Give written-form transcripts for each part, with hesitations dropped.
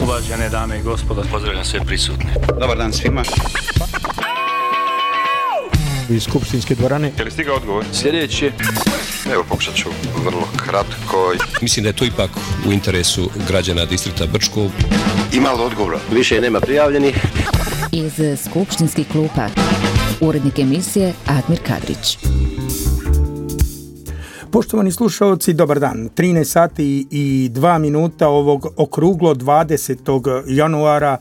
Uvažene dame i gospodo, pozdravljam sve prisutne. Dobar dan svima. Iz skupštinske dvorane. Je li stigao odgovor? Sljedeći. Evo, pokušat ću vrlo kratko. Mislim da je to ipak u interesu građana distrikta Brčko. Ima li odgovora? Više nema prijavljenih. Iz skupštinskih klupa urednik emisije Admir Kadrić. Poštovani slušalci, dobar dan. 13 sati i 2 minuta ovog okruglo 20. januara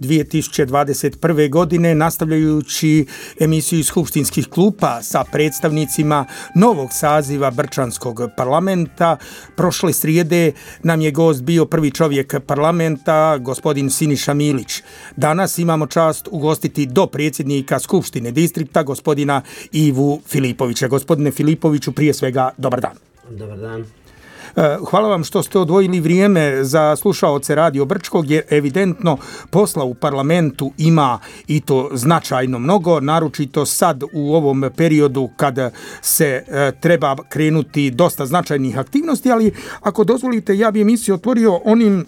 2021. godine, nastavljajući emisiju iz skupštinskih klupa sa predstavnicima novog saziva Brčanskog parlamenta. Prošle srijede nam je gost bio prvi čovjek parlamenta, gospodin Siniša Milić. Danas imamo čast ugostiti do predsjednika Skupštine distrikta, gospodina Ivu Filipovića. Gospodine Filipoviću, prije svega, dobar dan. Dobar dan. Hvala vam što ste odvojili vrijeme za slušaoce Radio Brčkog, jer evidentno posla u parlamentu ima i to značajno mnogo, naročito sad u ovom periodu kad se treba krenuti dosta značajnih aktivnosti, ali ako dozvolite, ja bi emisiju otvorio onim,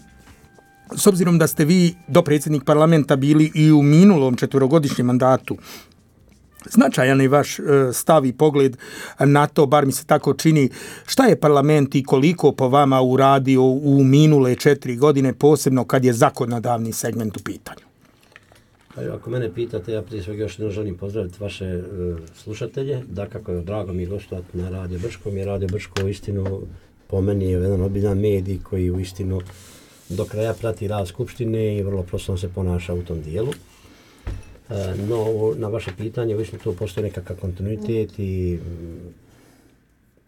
s obzirom da ste vi dopredsjednik parlamenta bili i u minulom 4-godišnjem mandatu. Značajan je vaš stav i pogled na to, bar mi se tako čini, šta je parlament i koliko po vama uradio u minule 4 godine, posebno kad je zakonodavni segment u pitanju? Ako mene pitate, ja prije svega još jednom želim pozdraviti vaše slušatelje. Dakako je drago mi gostovati na Radio Brčkom, jer Radio Brčko istinu po meni je jedan obiljan medij koji u istinu do kraja prati rad Skupštine i vrlo profesionalno se ponaša u tom dijelu. No, na vaše pitanje, uistinu tu postoji nekakav kontinuitet i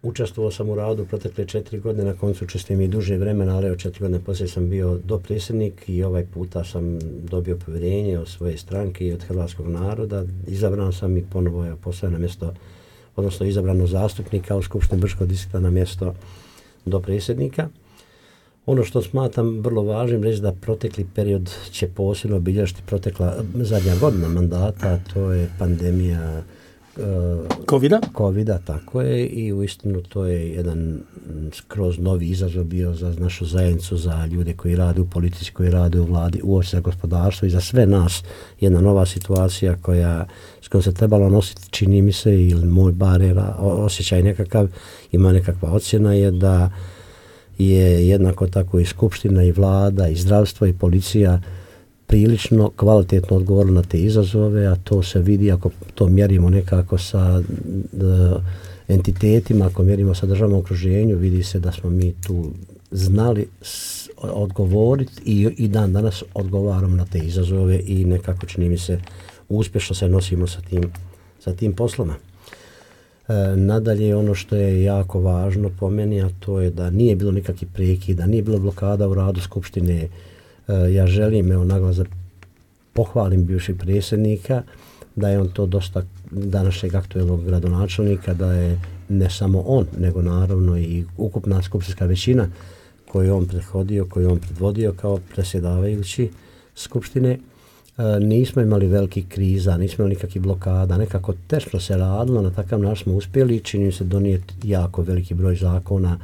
učestvovao sam u radu protekle 4 godine, na koncu učestvujem i duže vremena, ali od 4 godine poslije sam bio dopredsjednik i ovaj puta sam dobio povjerenje od svoje stranke i od hrvatskog naroda. Izabran sam i ponovo je postavljen na mjesto, odnosno izabrano zastupnika u Skupštini Brčkog distrikta na mjesto dopredsjednika. Ono što smatram vrlo važnim reći da protekli period će posebno obilježiti protekla zadnja godina mandata, to je pandemija Covida, tako je, i uistinu to je jedan skroz novi izazov bio za našu zajednicu, za ljude koji rade u politici, koji rade u vladi, uopće za gospodarstvo i za sve nas. Jedna nova situacija s kojom se trebalo nositi, čini mi se, ili moj bar osjećaj nekakav, ima nekakva ocjena je da je jednako tako i Skupština i vlada i zdravstvo i policija prilično kvalitetno odgovorila na te izazove, a to se vidi ako to mjerimo nekako sa entitetima, ako mjerimo sa državnom okruženju, vidi se da smo mi tu znali odgovoriti i dan danas odgovaramo na te izazove i nekako čini mi se uspješno se nosimo sa tim posloma. Nadalje, ono što je jako važno po meni, a to je da nije bilo nikakvih prekida, nije bilo blokada u radu Skupštine. Ja želim, naglas da pohvalim bivšeg predsjednika, da je on to dosta današnjeg aktuelnog gradonačelnika, da je ne samo on, nego naravno i ukupna skupštinska većina koju je on prethodio, koju je on predvodio kao predsjedavajući Skupštine. Nismo imali velikih kriza, nismo imali nikakvih blokada, nekako teško se radilo, na takav način smo uspjeli, čini se donijeti jako veliki broj zakona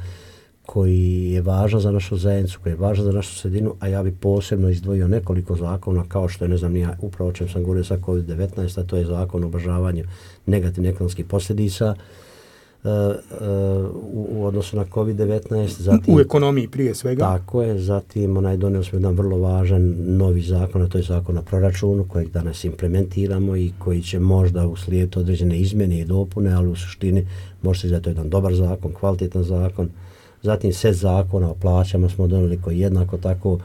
koji je važan za našu zajednicu, koji je važan za našu sredinu, a ja bi posebno izdvojio nekoliko zakona, kao što je, upravo o čem sam govorio sa COVID-19, a to je zakon o ublažavanju negativnih ekonomskih posljedica u odnosu na COVID-19. Zatim, u ekonomiji prije svega. Tako je, zatim donijeli smo jedan vrlo važan novi zakon, a to je zakon o proračunu kojeg danas implementiramo i koji će možda uslijediti određene izmjene i dopune, ali u suštini može se da je to jedan dobar zakon, kvalitetan zakon. Zatim set zakona o plaćama smo donijeli koji jednako tako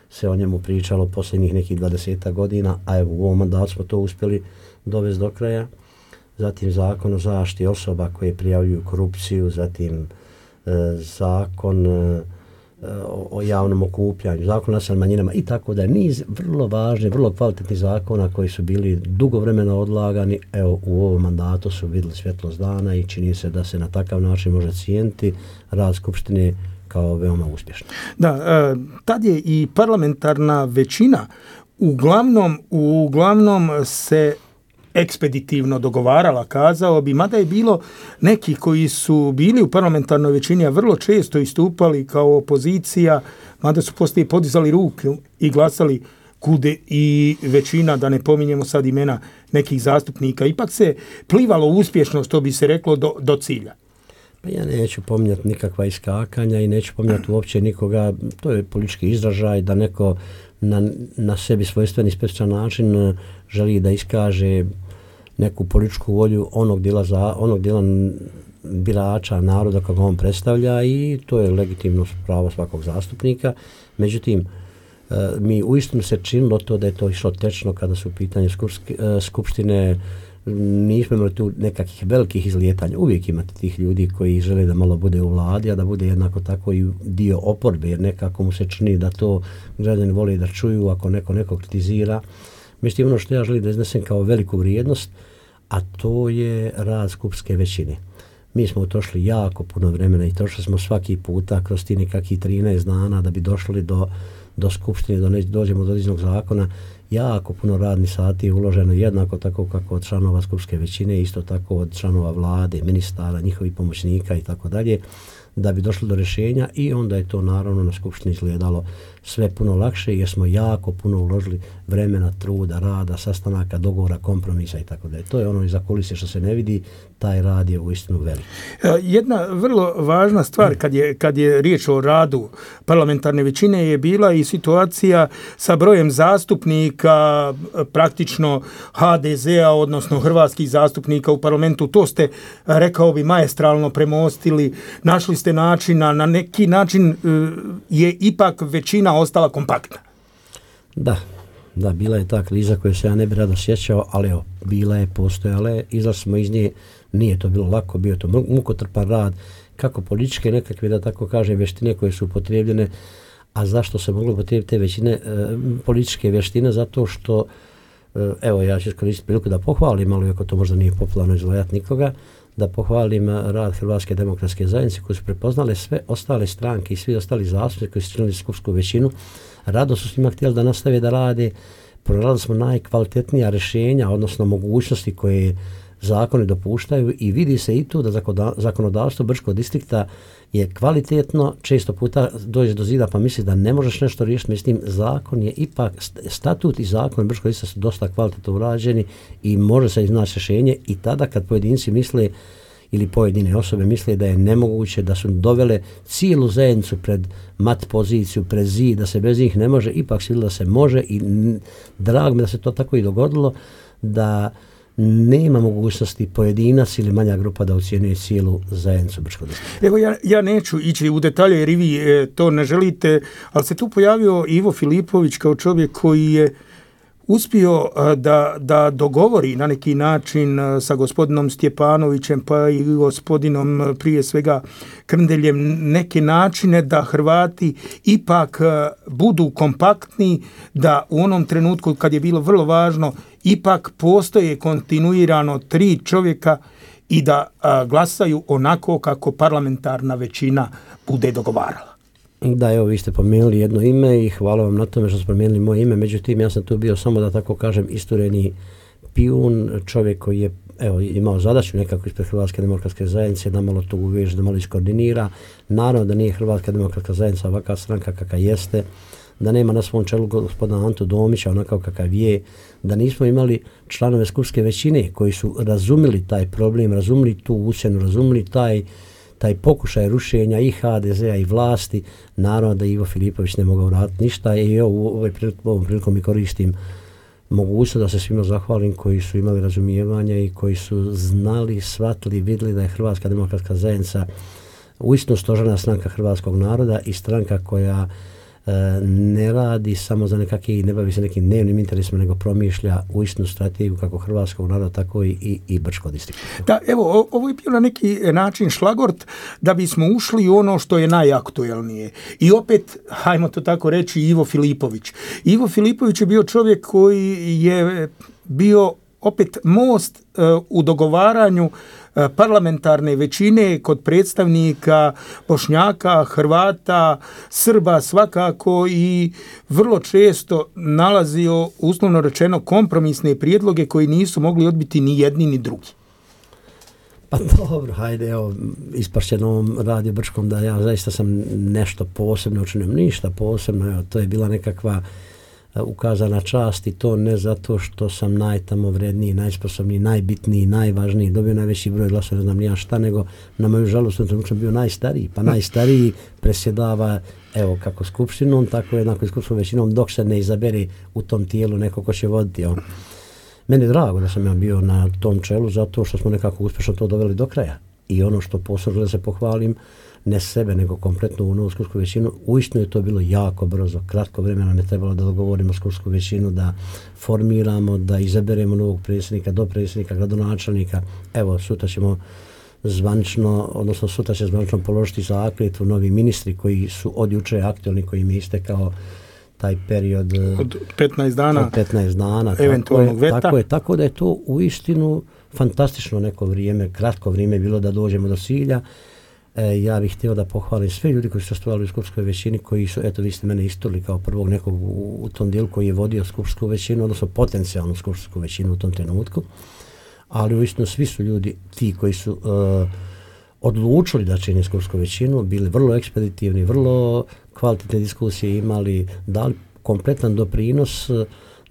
se o njemu pričalo posljednjih nekih 20 godina, a evo u ovom mandatu smo to uspjeli dovesti do kraja. Zatim zakon o zaštiti osoba koje prijavljuju korupciju, zatim zakon o javnom okupljanju, zakon o nacionalnim manjinama i tako da je niz vrlo važnih, vrlo kvalitetnih zakona koji su bili dugo vremena odlagani, evo u ovom mandatu su vidjeli svjetlost dana i čini se da se na takav način može cijeniti rad Skupštine kao veoma uspješno. Da, tad je i parlamentarna većina uglavnom se ekspeditivno dogovarala, kazao bi, mada je bilo neki koji su bili u parlamentarnoj većini, a vrlo često istupali kao opozicija, mada su poslije podizali ruke i glasali kude i većina, da ne pominjemo sad imena nekih zastupnika. Ipak se plivalo uspješno, što bi se reklo, do cilja. Pa ja neću pominjati nikakva iskakanja i neću pominjati uopće nikoga, to je politički izražaj da neko na sebi svojstven i specijalan način želi da iskaže neku političku volju onog dijela birača naroda kako on predstavlja i to je legitimno pravo svakog zastupnika. Međutim, mi uistinu se činilo to da je to išlo tečno kada su u pitanju skupštine, nismo imali tu nekakvih velikih izlijetanja. Uvijek imate tih ljudi koji žele da malo bude u vladi, a da bude jednako tako i dio oporbe, jer nekako mu se čini da to građani vole da čuju ako neko kritizira. Međutim, ono što ja želim da iznesem kao veliku vrijednost, a to je rad skupske većine. Mi smo utrošili jako puno vremena i trošili smo svaki puta kroz ti nekakvih 13 dana da bi došli do skupštine, dođemo do određenog zakona. Jako puno radnih sati je uloženo jednako tako kako od članova skupske većine, isto tako od članova vlade, ministara, njihovih pomoćnika i tako dalje, da bi došli do rješenja i onda je to naravno na skupštini izgledalo sve puno lakše jer smo jako puno uložili vremena, truda, rada, sastanaka, dogovora, kompromisa i tako dalje. To je ono iza kulise što se ne vidi, taj rad je uistinu velik. Jedna vrlo važna stvar kad je riječ o radu parlamentarne većine je bila i situacija sa brojem zastupnika, praktično HDZ-a, odnosno hrvatskih zastupnika u parlamentu. To ste, rekao bi, maestralno premostili, našli ste načina, na neki način je ipak većina ostala kompaktna. Da, bila je ta kriza koju se ja ne bi rado sjećao, ali evo, bila je, postojala je, izlazili smo iz nje, nije to bilo lako, bio to mukotrpan rad, kako političke nekakve, da tako kažem, vještine koje su upotrijebljene, a zašto se moglo upotrijebiti te većine političke vještine? Zato što, evo, ja ću iskoristiti priliku da pohvalim, ali ako to možda nije popularno izvajati nikoga, da pohvalim rad Hrvatske demokratske zajednice koji su prepoznale sve ostale stranke i svi ostali zastupnici koji su činili skupsku većinu. Rado su s njima htjeli da nastave da rade. Pronašli smo najkvalitetnija rješenja, odnosno mogućnosti koje zakoni dopuštaju i vidi se i tu da zakonodavstvo Brčkog distrikta je kvalitetno, često puta dođe do zida pa misli da ne možeš nešto riješiti, mislim zakon je ipak, statut i zakon Brčkog distrikta su dosta kvalitetno urađeni i može se iznaći rješenje i tada kad pojedinci misle ili pojedine osobe misle da je nemoguće, da su dovele cijelu zajednicu pred mat poziciju, pred zid, da se bez njih ne može, ipak se da se može i drago mi da se to tako i dogodilo, da nema mogućnosti pojedinac ili manja grupa da ocjenjuje cijelu zajednicu Brčkog distrikta. Evo ja neću ići u detalje jer i vi to ne želite, ali se tu pojavio Ivo Filipović kao čovjek koji je uspio da dogovori na neki način sa gospodinom Stjepanovićem pa i gospodinom prije svega Krndeljem neke načine da Hrvati ipak budu kompaktni, da u onom trenutku kad je bilo vrlo važno ipak postoje kontinuirano 3 čovjeka i da glasaju onako kako parlamentarna većina bude dogovarala. Da, evo, vi ste pomenuli jedno ime i hvala vam na tome što ste pomenuli moje ime, međutim ja sam tu bio samo da tako kažem istureni pijun, čovjek koji je imao zadaću nekako ispred Hrvatske demokratske zajednice da malo to uveže, da malo iskoordinira. Naravno da nije Hrvatska demokratska zajednica ovakva stranka kakva jeste, da nema na svom čelu gospodina Antu Domića onakav kakav je, da nismo imali članove skupske većine koji su razumili taj problem, razumili tu ucjenu, razumili taj pokušaj rušenja i HDZ-a i vlasti. Naravno da Ivo Filipović ne mogao raditi ništa i ovom prilikom i koristim mogućnost da se svima zahvalim koji su imali razumijevanja i koji su znali, shvatili, vidjeli da je Hrvatska demokratska zajednica uistinu stožerna stranka hrvatskog naroda i stranka koja ne radi samo za nekakve, ne bavi se nekim dnevnim interesima, nego promišlja uistinu strategiju kako hrvatskog naroda, tako i Brčkog distrikta. Da, evo, ovo je bio na neki način šlagort da bismo ušli u ono što je najaktuelnije. I opet, hajmo to tako reći, Ivo Filipović. Ivo Filipović je bio čovjek koji je bio opet most u dogovaranju parlamentarne većine kod predstavnika Bošnjaka, Hrvata, Srba svakako i vrlo često nalazio, uslovno rečeno, kompromisne prijedloge koji nisu mogli odbiti ni jedni ni drugi. Pa dobro, hajde, evo, ispašće na ovom Radio Brčkom da ja zaista sam nešto posebno učinio, ništa posebno, evo, to je bila nekakva ukazana čast i to ne zato što sam najtamovredniji, najsposobniji, najbitniji, najvažniji, dobio najveći broj glasova, ne znam ni ja šta, nego na moju žalost u trenutku sam bio najstariji, pa najstariji presjedava, evo, kako skupštinom, tako jednako i skupštinom većinom, dok se ne izabere u tom tijelu neko ko će voditi. Evo. Meni je drago da sam ja bio na tom čelu zato što smo nekako uspješno to doveli do kraja. I ono što posebno da se pohvalim, ne sebe, nego kompletno u novu skupsku većinu, uistinu je to bilo jako brzo, kratko vremena nam je trebalo da dogovorimo skupsku većinu, da formiramo, da izaberemo novog predsjednika, dopredsjednika, gradonačelnika. Evo, sutra ćemo zvanično, odnosno sutra će zvanično položiti zakletvu novi ministri koji su od juče aktualni, koji im je istekao taj period od 15 dana, od 15 dana eventualnog veta. Tako da je to uistinu fantastično neko vrijeme, kratko vrijeme bilo da dođemo do cilja. Ja bih htio da pohvalim sve ljudi koji su stojali u skupskoj većini, koji su, eto, vi ste mene isturili kao prvog nekog u tom dijelu koji je vodio skupsku većinu, odnosno potencijalnu skupsku većinu u tom trenutku. Ali uistinu svi su ljudi ti koji su odlučili da čine skupsku većinu, bili vrlo ekspeditivni, vrlo kvalitetne diskusije imali, dali kompletan doprinos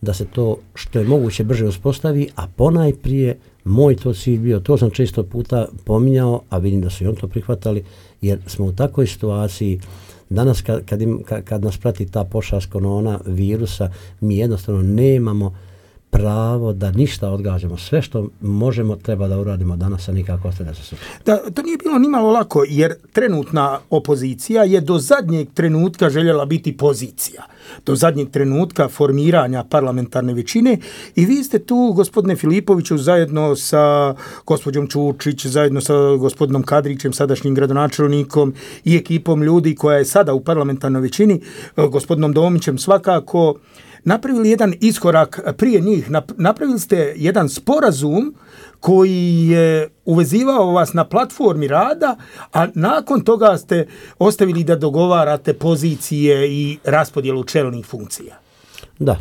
da se to što je moguće brže uspostavi, a ponajprije moj to cilj bio, to sam često puta pominjao, a vidim da su i on to prihvatali, jer smo u takvoj situaciji, danas kad nas prati ta pošast korona virusa, mi jednostavno nemamo pravo da ništa odgađamo. Sve što možemo treba da uradimo danas, a nikako ostavlja se sutra. Da, to nije bilo nimalo lako, jer trenutna opozicija je do zadnjeg trenutka željela biti pozicija. Do zadnjeg trenutka formiranja parlamentarne većine i vi ste tu, gospodine Filipoviću, zajedno sa gospođom Čučić, zajedno sa gospodinom Kadrićem, sadašnjim gradonačelnikom i ekipom ljudi koja je sada u parlamentarnoj većini, gospodinom Domićem svakako, napravili jedan iskorak prije njih. Napravili ste jedan sporazum koji je uvezivao vas na platformi rada, a nakon toga ste ostavili da dogovarate pozicije i raspodjelu čelnih funkcija. Da,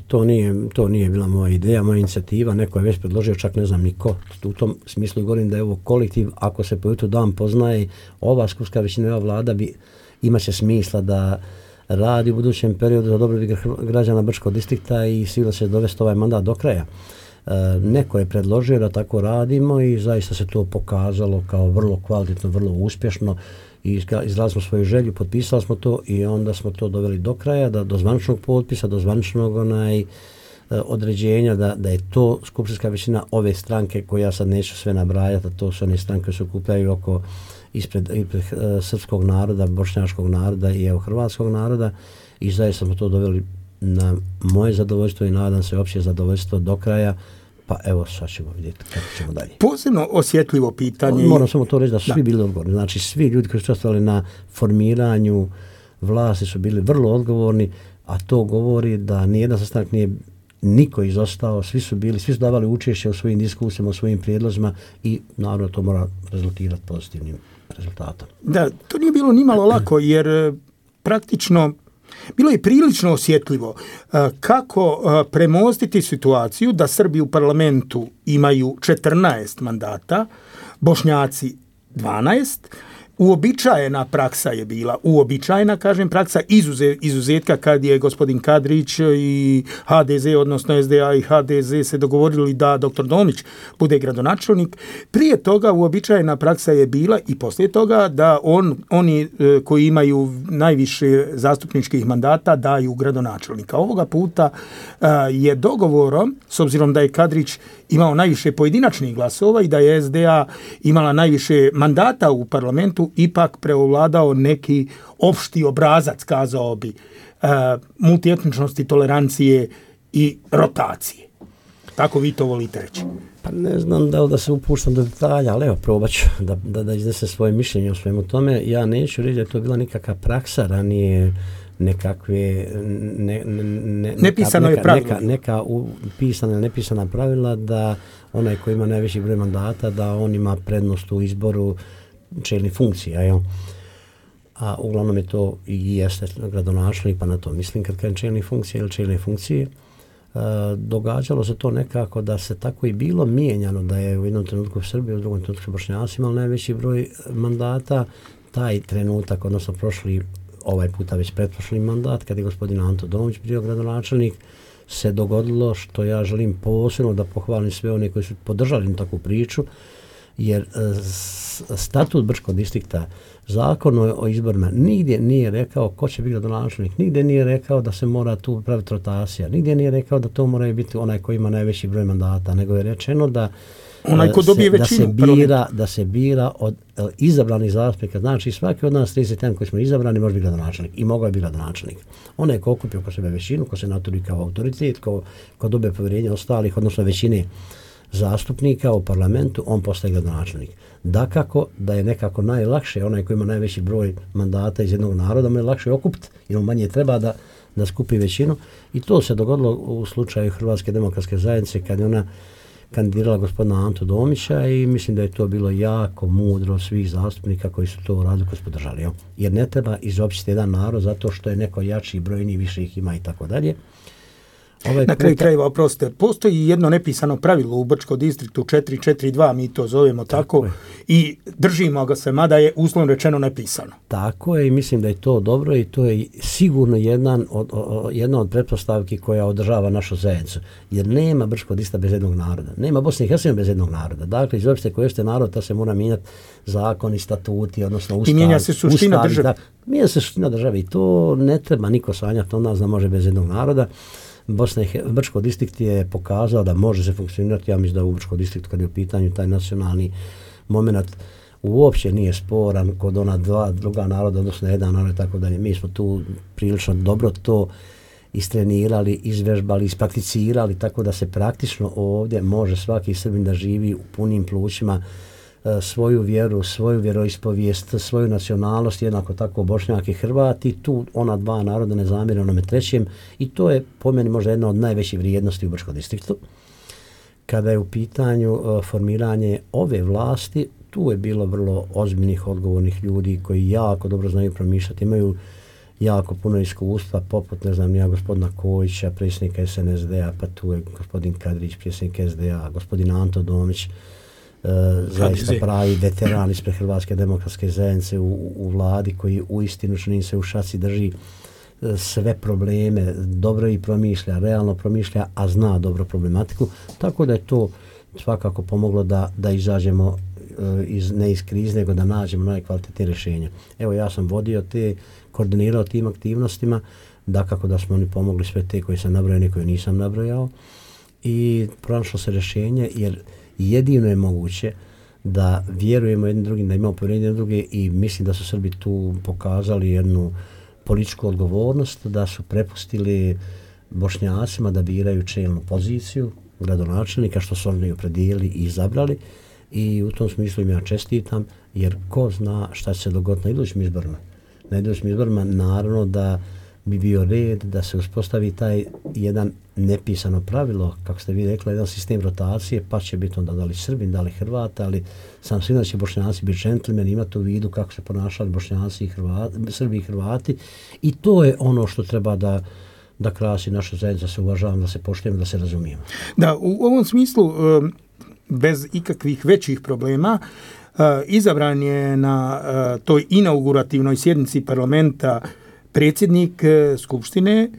to nije bila moja ideja, moja inicijativa, neko je već predložio, čak ne znam niko. U tom smislu govorim da je ovo kolektiv, ako se po jutru dan poznaje, ova skupska većina, ova vlada imaće smisla da radi u budućem periodu za dobrobit građana Brčkog distrikta i sigurno će dovesti ovaj mandat do kraja. Neko je predložio da tako radimo i zaista se to pokazalo kao vrlo kvalitetno, vrlo uspješno i izrazili smo svoju želju, potpisali smo to i onda smo to doveli do kraja, do zvaničnog potpisa, do zvaničnog određenja da je to skupštinska većina ove stranke koje ja sad neću sve nabrajati, a to su one stranke koje se okupljaju oko ispred srpskog naroda, bošnjačkog naroda i hrvatskog naroda i zaista smo to doveli na moje zadovoljstvo i nadam se opće zadovoljstvo do kraja, pa evo sad ćemo vidjeti kako ćemo dalje. Posebno osjetljivo pitanje. Moram samo to reći da su svi bili odgovorni, znači svi ljudi koji su učestvovali na formiranju vlasti su bili vrlo odgovorni, a to govori da nijedan sastanak nije niko izostao, svi su davali učešće u svojim diskusijama, u svojim prijedlozima i naravno to mora rezultirati pozitivnim rezultatom. Da, to nije bilo nimalo lako jer praktično bilo je prilično osjetljivo kako premostiti situaciju da Srbi u parlamentu imaju 14 mandata, Bošnjaci 12, uobičajena praksa je bila, praksa izuzetka kad je gospodin Kadrić i HDZ, odnosno SDA i HDZ se dogovorili da dr. Domić bude gradonačelnik. Prije toga uobičajena praksa je bila i poslije toga da oni koji imaju najviše zastupničkih mandata daju gradonačelnika. Ovoga puta je dogovorom, s obzirom da je Kadrić imao najviše pojedinačnih glasova i da je SDA imala najviše mandata u parlamentu, ipak preovladao neki opšti obrazac, kazao bi, multietničnosti, tolerancije i rotacije. Tako vi to volite reći? Pa ne znam da se upuštam do detalja, ali evo probat ću da iznesem svoje mišljenje o svemu tome. Ja neću reći da je to bila nikakva praksa ranije nekakve nepisano je pravilo. Neka pisana ili nepisana pravila da onaj koji ima najveći broj mandata da on ima prednost u izboru čelnih funkcija. Jel? A uglavnom je to i jeste gradonačelnik, pa na to mislim kad kažem čelnih funkcija ili čelne funkcije. Događalo se to nekako da se tako i bilo mijenjano, da je u jednom trenutku Srbiji, u drugom trenutku Bošnjaci imali najveći broj mandata. Taj trenutak, odnosno prošli, ovaj puta već pretprošli mandat, kad je gospodin Anto Domić bio gradonačelnik, se dogodilo što ja želim posebno da pohvalim sve one koji su podržali takvu priču, jer statut Brčkog distrikta, zakon o izborima, nigdje nije rekao ko će biti gradonačelnik, nigdje nije rekao da se mora tu praviti rotacija, nigdje nije rekao da to mora biti onaj koji ima najveći broj mandata, nego je rečeno da onaj ko dobije većinu, da se bira od izabranih zastupnika. Znači svaki od nas 31 koji smo izabrani može biti gradonačelnik i mogao je biti gradonačelnik. Onaj ko okupio oko sebe većinu, ko se naturi kao autoritet, ko dobije povjerenje ostalih, odnosno većine zastupnika u parlamentu, on postaje gradonačelnik. Dakako da je nekako najlakše, onaj koji ima najveći broj mandata iz jednog naroda, mu je lakše okupiti, jer on manje treba da skupi većinu. I to se dogodilo u slučaju Hrvatske demokratske zajednice kad je ona kandidirala gospodina Antu Domića i mislim da je to bilo jako mudro svih zastupnika koji su to uradili, koji su podržali. Jer ne treba izopćiti jedan narod zato što je neko jači, brojniji, više ih ima i tako dalje. Na kraju krajeva, oprostite, postoji jedno nepisano pravilo u Brčkom distriktu 442, mi to zovemo tako i držimo ga se, mada je uslovno rečeno nepisano. Tako je i mislim da je to dobro i to je sigurno jedna od pretpostavki koja održava našu zajednicu. Jer nema Brčkog distrikta bez jednog naroda, nema Bosne i Hercegovine bez jednog naroda. Dakle, izopšte koji jeste narod, ta se mora mijenjati zakoni, statuti, odnosno ustav. I mijenja se suština države. Mijenja se suština države i to ne treba niko sanjati od nas da može bez jednog naroda. Brčko distrikt je pokazao da može se funkcionirati, ja mislim da u Brčko distriktu kad je u pitanju taj nacionalni moment uopće nije sporan kod ona druga naroda, odnosno jedan narod, tako da mi smo tu prilično dobro to istrenirali, izvežbali, isprakticirali, tako da se praktično ovdje može svaki Srbin da živi u punim plućima svoju vjeru, svoju vjeroispovijest, svoju nacionalnost, jednako tako Bošnjak i Hrvat i tu ona dva naroda ne zamire onome trećem i to je po meni možda jedna od najvećih vrijednosti u Brčkom distriktu. Kada je u pitanju formiranje ove vlasti, tu je bilo vrlo ozbiljnih, odgovornih ljudi koji jako dobro znaju promišljati, imaju jako puno iskustva, poput, ne znam, ja gospodina Kojića, predsjednika SNSD-a, pa tu je gospodin Kadrić, predsjednik SDA, gospodin Anto Domić, zaista pravi veteran ispred Hrvatske demokratske zajednice u vladi koji uistinu čini se u šaci drži sve probleme, dobro i promišlja, realno promišlja, a zna dobro problematiku, tako da je to svakako pomoglo da izađemo ne iz krize, nego da nađemo najkvalitetnije rješenje. Evo, ja sam vodio koordinirao tim aktivnostima, dakako da smo oni pomogli sve te koji sam nabrojao, neke koje nisam nabrojao i pronašlo se rješenje, jer jedino je moguće da vjerujemo jednim drugim, da imamo povjerenje jednim druge i mislim da su Srbi tu pokazali jednu političku odgovornost, da su prepustili Bošnjacima da biraju čelnu poziciju gradonačelnika, što su oni opredijelili i izabrali i u tom smislu im ja čestitam, jer ko zna šta će se dogoditi na idućim izborima. Na idućim izborima naravno da bi bio red da se uspostavi taj jedan nepisano pravilo, kako ste vi rekli, jedan sistem rotacije, pa će biti onda da li Srbin, da li Hrvata, ali sam sigurno će Bošnjaci biti džentlmeni, imati u vidu kako se ponašali Bošnjaci i Hrvati, Srbi i Hrvati i to je ono što treba da krasi našu zajednicu, da se uvažavamo, da se poštujemo, da se razumijemo. Da, u ovom smislu, bez ikakvih većih problema, izabran je na toj inaugurativnoj sjednici parlamenta predsjednik Skupštine,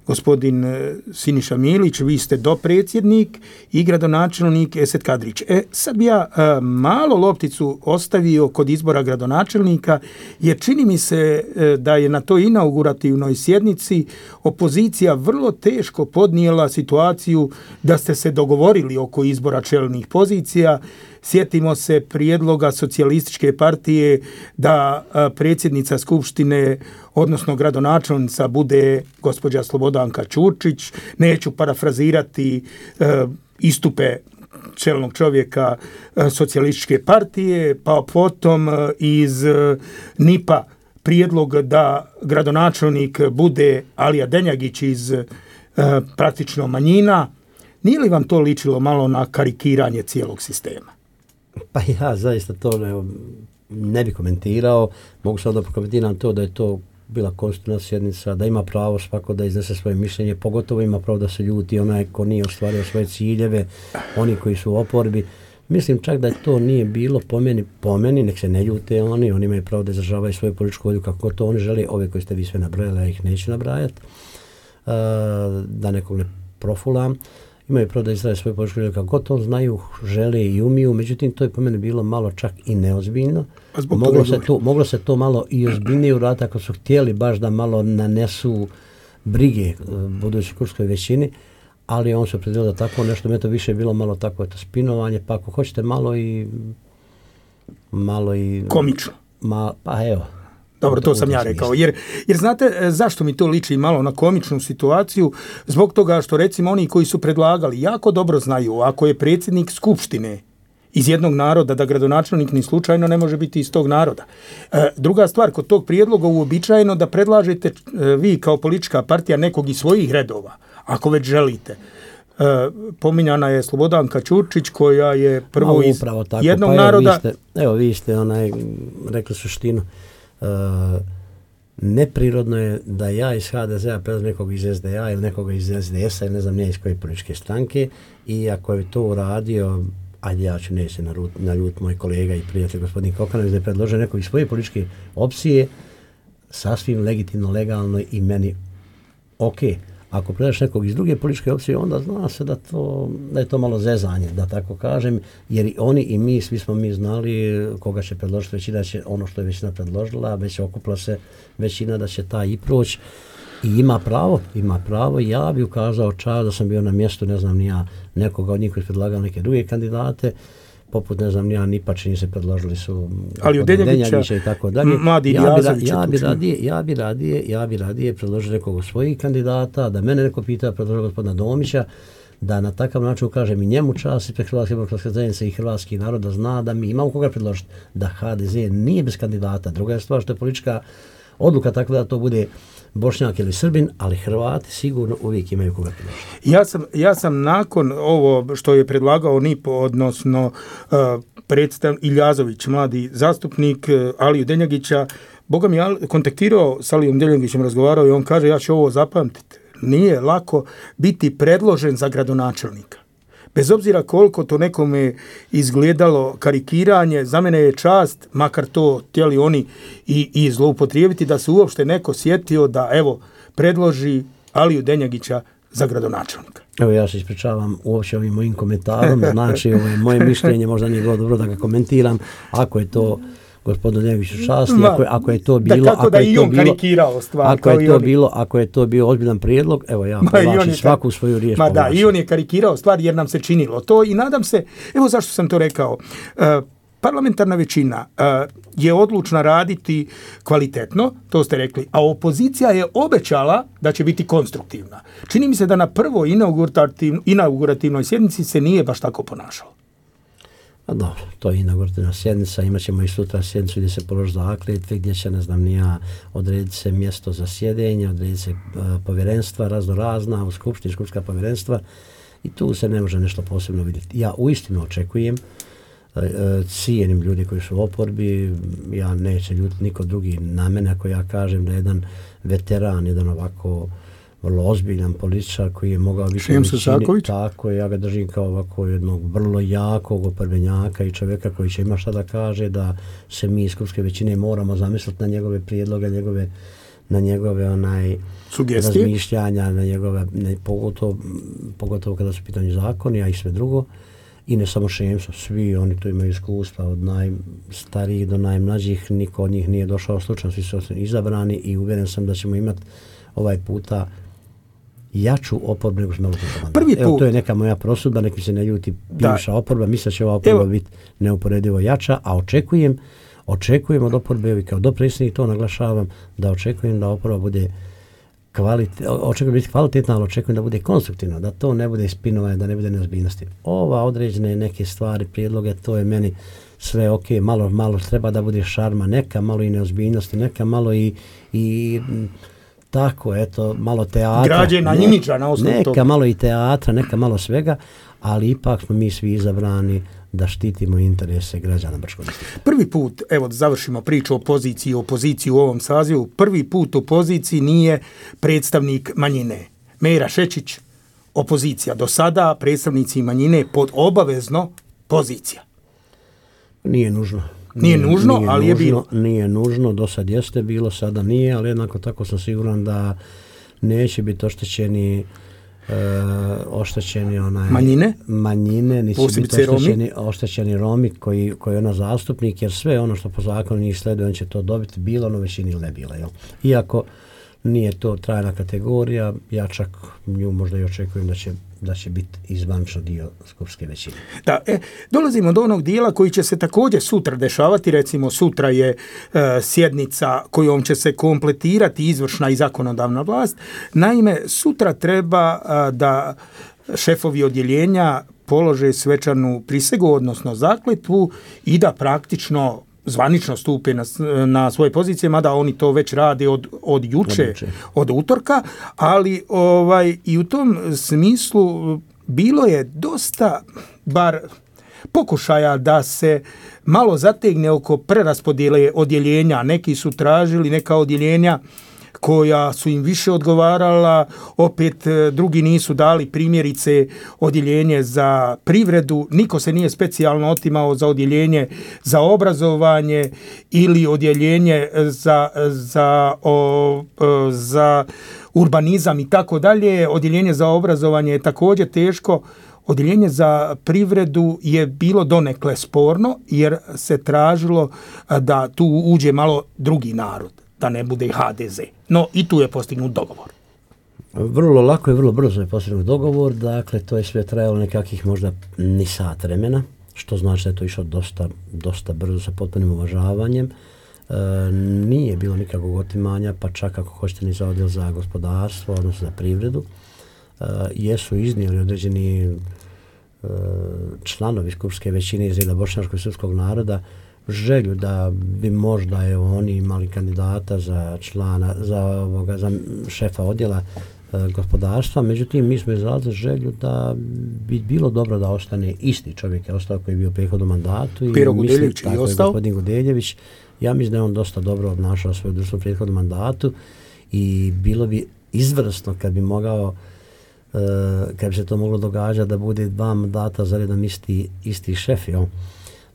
gospodin Siniša Milić, vi ste dopredsjednik i gradonačelnik Esed Kadrić. Sad bi ja malo lopticu ostavio kod izbora gradonačelnika, jer čini mi se da je na toj inaugurativnoj sjednici opozicija vrlo teško podnijela situaciju da ste se dogovorili oko izbora čelnih pozicija. Sjetimo se prijedloga Socijalističke partije da predsjednica Skupštine, odnosno gradonačelnica, bude gospođa Slobodanka Ćurčić. Neću parafrazirati istupe čelnog čovjeka Socijalističke partije, pa potom iz NIP-a prijedlog da gradonačelnik bude Alija Denjagić iz praktično manjina. Nije li vam to ličilo malo na karikiranje cijelog sistema? Pa ja zaista to ne bi komentirao. Mogu samo da prokomentiram to da je to bila konstitutivna sjednica, da ima pravo svako da iznese svoje mišljenje, pogotovo ima pravo da se ljuti onaj ko nije ostvario svoje ciljeve, oni koji su u oporbi. Mislim čak da to nije bilo po meni, nek se ne ljute oni imaju pravo da izražavaju svoju političku volju kako to oni žele, ove koje ste vi sve nabrajali, ja ih neću nabrajati, da nekog ne profulam. Imaju pravo da izražavaju svoju političku volju kako to znaju, žele i umiju, međutim to je po meni bilo malo čak i neozbiljno. Moglo se to malo i ozbiljnije uraditi ako su htjeli baš da malo nanesu brige budućoj skupštinskoj većini, ali on se opredelio da tako nešto, me to više bilo malo tako eto spinovanje, pa ako hoćete malo i komično. Pa evo. Dobro, to sam ja rekao. Jer znate zašto mi to liči malo na komičnu situaciju? Zbog toga što recimo oni koji su predlagali jako dobro znaju, ako je predsjednik skupštine iz jednog naroda, da gradonačelnik ni slučajno ne može biti iz tog naroda. Druga stvar, kod tog prijedloga uobičajeno da predlažete vi kao politička partija nekog iz svojih redova, ako već želite. Pominjana je Slobodanka Ćurčić koja je prvo iz jednog naroda. Vi ste rekli suštinu. Neprirodno je da ja iz HDZ-a predlažem nekog iz SDA ili nekoga iz SDS-a ili ne znam nije iz koje političke stranke, i ako je to uradio, ajde ja ću neće na ljut moj kolega i prijatelj gospodin Kokanović da je predložio nekog iz svoje političke opcije, sasvim legitimno, legalno i meni ok. Ako predaš nekog iz druge političke opcije, onda zna se da je to malo zezanje, da tako kažem, jer i oni i mi, svi smo mi znali koga će predložiti većina, će ono što je većina predložila, već okupla se većina da će taj i proći. I ima pravo, ja bi ukazao čas da sam bio na mjestu, ne znam ni ja, nekoga od njih koji predlagao neke druge kandidate, poput ne znam ni ja, nipa čini se predložili su ali od Denjagića i tako dalje. Ja bi radije predložio nekog svojih kandidata, da mene neko pita predložio gospodina Domića, da na takav način kažem i njemu čast ispred Hrvatske demokratske zajednice i hrvatski narod da zna da mi imamo koga predložiti, da HDZ nije bez kandidata. Druga je stvar što je politička odluka tako da to bude Bošnjak ili Srbin, ali Hrvati sigurno uvijek imaju koga predložiti. Ja sam nakon ovo što je predlagao NIP, odnosno Iljazović, mladi zastupnik Aliju Denjagića, Boga mi je kontaktirao s Alijom Denjagićem, razgovarao i on kaže ja ću ovo zapamtiti. Nije lako biti predložen za gradonačelnika. Bez obzira koliko to nekome izgledalo karikiranje, za mene je čast, makar to htjeli oni i zloupotrijebiti, da se uopšte neko sjetio da evo predloži Aliju Denjagića za gradonačelnika. Evo ja se ispričavam uopće ovim mojim komentarom, znači ovo je moje mišljenje, možda nije bilo dobro da ga komentiram, ako je to gospodinu Denjagiću čast, ako je to bilo, ako je to bio ozbiljan prijedlog, evo ja povlačim svaku svoju riječ. Da, i on je karikirao stvar jer nam se činilo to i nadam se, evo zašto sam to rekao, parlamentarna većina je odlučna raditi kvalitetno, to ste rekli, a opozicija je obećala da će biti konstruktivna. Čini mi se da na prvoj inaugurativnoj sjednici se nije baš tako ponašalo. A dobro, to je inaugurativna sjednica, imat ćemo i sutra sjednicu gdje se položi zakletve, gdje će, ne znam ni ja, odrediti se mjesto za sjedenje, odrediti se povjerenstva razna, u skupštinska povjerenstva i tu se ne može nešto posebno vidjeti. Ja uistinu očekujem, cijenim ljudi koji su u oporbi, ja neće ljutiti niko drugi na mene ako ja kažem da jedan veteran, jedan ovako vrlo ozbiljan političar koji je mogao biti u većini, tako ja ga držim kao ovako jednog vrlo jakog oporbenjaka i čovjeka koji će ima šta da kaže, da se mi iz skupske većine moramo zamisliti na njegove prijedloge, na njegove razmišljanja, na njegove, pogotovo kada su pitanje zakoni, a i sve drugo. I ne samo Šemso, svi oni tu imaju iskustva od najstarijih do najmlađih, niko od njih nije došao slučajno, svi su izabrani i uvjeren sam da ćemo imati ovaj puta jaču oporbu nego smo imali. Evo, to je neka moja prosudba, neki se ne ljuti bivša oporba, mislim da će ova oporba biti neuporedivo jača, a očekujem od oporbe, i kao dopredsjednik to naglašavam, da očekujem da oporba bude kvalitetna, ali očekujem da bude konstruktivna, da to ne bude spinovanje, da ne bude neozbiljnosti. Ova određene neke stvari, prijedloge, to je meni sve ok, malo treba da bude šarma, neka malo i neozbiljnosti, neka malo i tako, eto, malo teatra. Građena imidža na osnovu toga. Neka malo i teatra, neka malo svega, ali ipak smo mi svi izabrani da štitimo interese građana Brčkog distrikta. Prvi put, evo da završimo priču o opoziciji u ovom sazivu, prvi put u opoziciji nije predstavnik manjine. Mera Šečić, opozicija. Do sada predstavnici manjine pod obavezno pozicija. Nije nužno. Nije nužno, ali je bilo. Nije nužno, do sad jeste bilo, sada nije, ali jednako tako sam siguran da neće biti oštećeni manjine, niti biti oštećeni Romi koji je ona zastupnik, jer sve ono što po zakonu njih sleduje, on će to dobiti, bilo ono većini ili ne bilo. Jel? Iako nije to trajna kategorija, ja čak nju možda i očekujem da će biti izvančno dio skupske većine. Da, dolazimo do onog dijela koji će se također sutra dešavati, recimo sutra je sjednica kojom će se kompletirati izvršna i zakonodavna vlast. Naime, sutra treba da šefovi odjeljenja polože svečanu prisegu, odnosno zakletvu i da praktično zvanično stupe na svoje pozicije, mada oni to već rade od juče, od utorka, ali i u tom smislu bilo je dosta, bar pokušaja da se malo zategne oko preraspodjele odjeljenja. Neki su tražili neka odjeljenja koja su im više odgovarala, opet drugi nisu dali, primjerice odjeljenje za privredu, niko se nije specijalno otimao za odjeljenje za obrazovanje ili odjeljenje za urbanizam i tako dalje. Odjeljenje za obrazovanje je također teško. Odjeljenje za privredu je bilo donekle sporno jer se tražilo da tu uđe malo drugi narod, da ne bude HDZ. No i tu je postignut dogovor. Vrlo lako i vrlo brzo je postignut dogovor, dakle to je sve trajalo nekakvih možda ni sat vremena, što znači da je to išlo dosta brzo sa potpunim uvažavanjem. Nije bilo nikakvog otimanja, pa čak ako hoćete ni za odjel za gospodarstvo, odnosno za privredu. Jesu iznijeli određeni članovi skupske većine iz reda bošnjačkog srpskog naroda želju da bi možda oni imali kandidata za šefa odjela gospodarstva, međutim mi smo izrazili želju da bi bilo dobro da ostane isti čovjek, je ostao koji je bio u prethodnom mandatu. Pero Gudeljević je ostao. Gospodin Gudeljević, ja mislim da je on dosta dobro obnašao svoju društvo u prethodnom mandatu i bilo bi izvrsno kad bi se to moglo događati da bude 2 mandata za redom isti šef,